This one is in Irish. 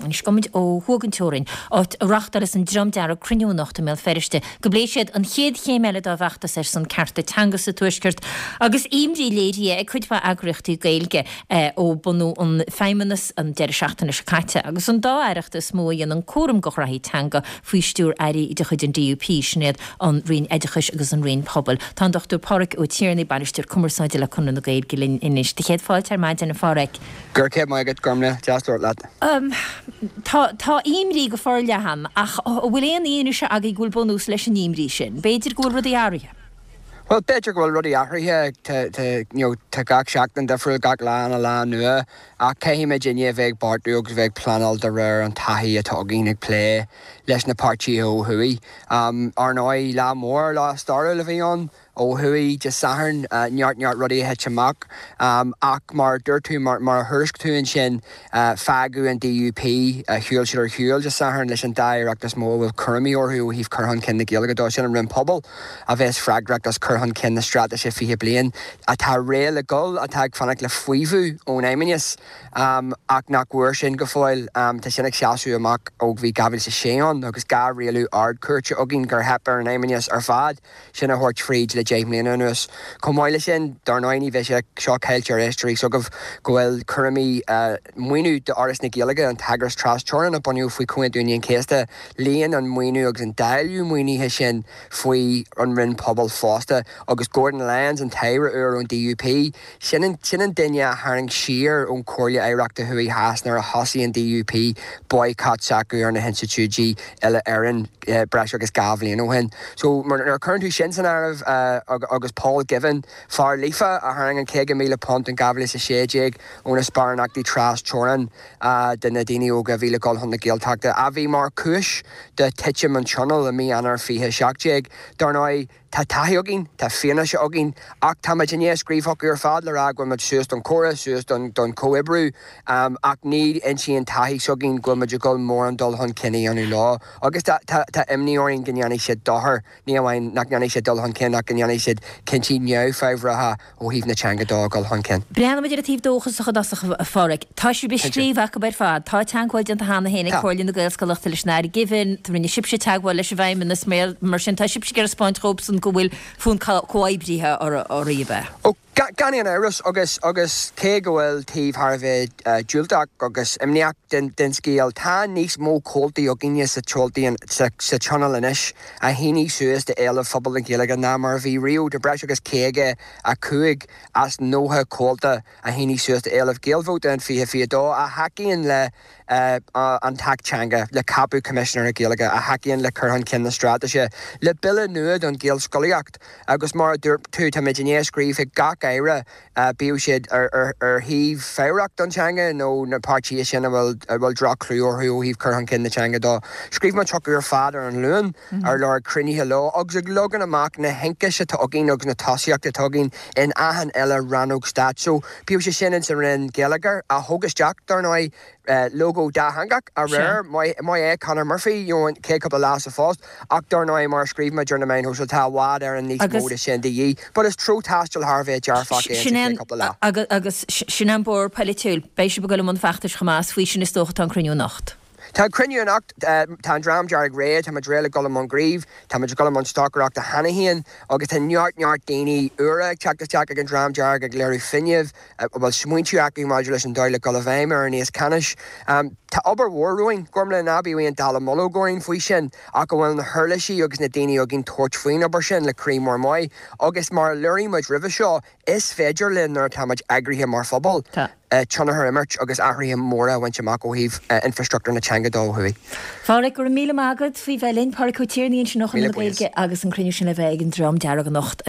Anois gabhfaimid ó thuaidh den teorainn, áit a reáchtálas an Dream Dearg cruinniú anocht i mBéal Feirste go bpléifidh siad an chéad chéim eile dá bhfeachtas ar son cearta teanga sa Tuaisceart agus imní léirithe ag cuid mhaith eagraíochtaí Gaeilge ó bunú an Feidhmeannas an deireadh seachtaine seo caite agus an dá aireacht is mó a dhéanann cúram de ghraithí teanga faoi stiúir airí de chuid an DUP, sin iad an Roinn Oideachais agus an Roinn Pobail. Tá an Dr Pádhraic Ó Tiarnaigh, Bainisteoir Cumarsáide le Conradh na Gaeilge linn anois. Do chéad fáilte ar maidin, a Phádhraic. Go raibh maith agat, Gormlaith. Deas labhairt leat. Tá, tá imní go forleathan, ach an bhfuil aon fhianaise agaibh go bhfuil bunús leis an imní sin? B'fhéidir go bhfuil rudaí athraithe? Bhuel, b'fhéidir go bhfuil rudaí athraithe, tá, tá, you know, tá gach seachtain difriúil, gach lá ina lá nua, ach caithfidh muidinne a bheith ag beartú agus a bheith ag pleanáil de réir an taithí atá againn ag plé leis na páirtithe ó thuaidh. Ar ndóigh, lá mór, lá stairiúil a bhí ann. Ó thuaidh Dé Sathairn, neart neart rudaí a thit amach. Ach mar a dúirt tú, mar a thuairisc tú ansin, fágadh an DUP, shiúil siad ar shiúl Dé Sathairn leis an dá aireacht is mó a bhfuil cúraimí orthu ó thaobh cur chun cinn na Gaeilge dó, sin an Roinn Pobal a bheas freagrach as cur chun cinn na Straitéise 20 Bliain atá réidh le dhul, atá ag fanacht le faomhadh ón Fheidhmeannas ach nach bhfuair sin go fóill. Tá sin ag seasamh amach ó bhí 2006 ann agus dhá rialú Ard-Chúirte againn gur theip ar an Fheidhmeannas ar fad. sin a thabhairt fríd le 10 mbliana anuas. Chomh maith leis sin, dar ndóigh ní bheidh sé seo caillte ar éisteoirí s'agaibh go bhfuil cúraimí maoiniú d'Fhoras na Gaeilge, an t-eagras tras-teorann a bunaíodh faoi Chomhaontú Aoine an Chéasta, luíonn an maoiniú agus an dáileadh maoinithe sin faoi an Roinn Pobal fosta agus Gordon Lyons, an t-aire úr ón DUP, Sin an sin an duine a tharraing siar ón Chomhairle Oidhreachta Thuaidh Theas nuair a thosaigh an DUP boycott s'acu ar na hinstitiúidí uile-Éireann breis agus 2 bhliain ó shin. So nuair a chuireann tú sin san áireamh agus Paul Givan, fear Líofa a tharraing an £50,000 in 2016 ó na sparánachtaí tras teorann de na daoine óga a bhí le dhul chun na Gaeltachta, a bhí mar chúis de titim an Tionóil i mí Eanáir 2017, dar ndóigh, Tá taithí againn, tá fianaise againn, ach tá muid i ndiaidh scríobh chucu ar fad le rá go bhfuil muid suas don chomhrá, suas don chomhoibriú, ach ní insíonn taithí s'againn go bhfuil muid ag dul mórán dul chun cinn a dhéanamh leo. Agus tá imní orainn go ndéanfaidh siad dochar, ní amháin nach ndéanfaidh siad dul chun cinn ach go ndéanfaidh siad cinntí neamhfhabhracha ó thaobh na teanga dó a dhul chun cinn. Breathnóimid ar an taobh dóchasach i dtosach, a Pháraic. Tá sibh ag scríobh acu ar fad. Tá teagmháil déanta cheana féin ag Comhairle na Gaelscolaíochta leis an Aire Givan, rinne sibhse teagmháil leis an bhFeidhmeannas, mar sin tá sibhse ag iarraidh 'spáint dhóibhsan go bhfuil fonn comhoibrithe oraibh, ab ea? Ó, gan aon amhras, agus agus cé go bhfuil taobh thar a bheith diúltach agus imníoch den den scéal, tá níos mó comhaltaí againne sa sa Tionól anois a shínigh suas d'éilimh phobal na Gaeilge ná mar a bhí riamh. Tá breis agus 55 as 90 comhalta a shínigh suas d'éilimh Gaelvóta in 2022 a thacaíonn le an tAcht Teanga, le ceapadh Coimisinéara Gaeilge, a thacaíonn le cur chun cinn na straitéise, le bille nua don Ghaelscolaíocht agus mar a dúirt tú, táimid i ndiaidh scríobh chuig gach aire bíodh siad ar thaobh fabhrach don teanga nó na páirtithe sin a bhfuil droch-chlú orthu ó thaobh cur chun cinn na teanga dó. Scríobh muid chucu ar fad ar an Luan ar lorg cruinnithe leo agus ag leagan amach na hionchais atá againn agus na tosaíochtaí atá againn in achan uile rannóg stáit. So, bíodh sé sin ins an Roinn Geilleagair, a thóg isteach, dar ndóigh, lógó dátheangach aréir, maith é Conor Murphy, you know, an chéad cúpla lá sa phost, ach dar ndóigh, mar a scríobh muid ar na meáin shóisialta, tá i bhfad Éireann níos mó de sin de dhíth. But is treo taistil thar a bheith dearfach é insa chéad cúpla lá. Agus sin an bóthar polaitiúil. Beidh sibh ag dul i mbun feachtais chomh maith, is faoi sin is dócha atá an cruinniú anocht. Tá an cruinniú anocht, tá an Dream Dearg réidh, tá muid réidh le dul i mbun gnímh, tá muid ag dul i mbun stocaireachta cheana féin agus tá neart, neart daoine úra ag teacht isteach ag an Dream Dearg ag léiriú fuinnimh, a bhfuil smaointe acu maidir leis an dóigh le dul i bhfeidhm ar an aos ceannais. Tá obair mhór romhainn, Gormlaith, ná bíodh aon dallamullóg orainn faoi sin, ach go bhfuil na huirlisí agus na daoine againn tabhairt faoin obair sin le croí mór maith. Agus mar a léirigh muid roimhe seo, is féidir linn, nuair atá muid eagraithe mar phobal, tionchar a imirt agus athruithe móra a bhaint amach ó thaobh infreastruchtúr na teanga dó ó thuaidh. A Pháraic, go raibh míle maith agat faoi bheith linn. Páraic Ó Tiarnaigh ansin ó Chonradh na Gaeilge agus an cruinniú sin le bheith ag an Dream Dearg anocht.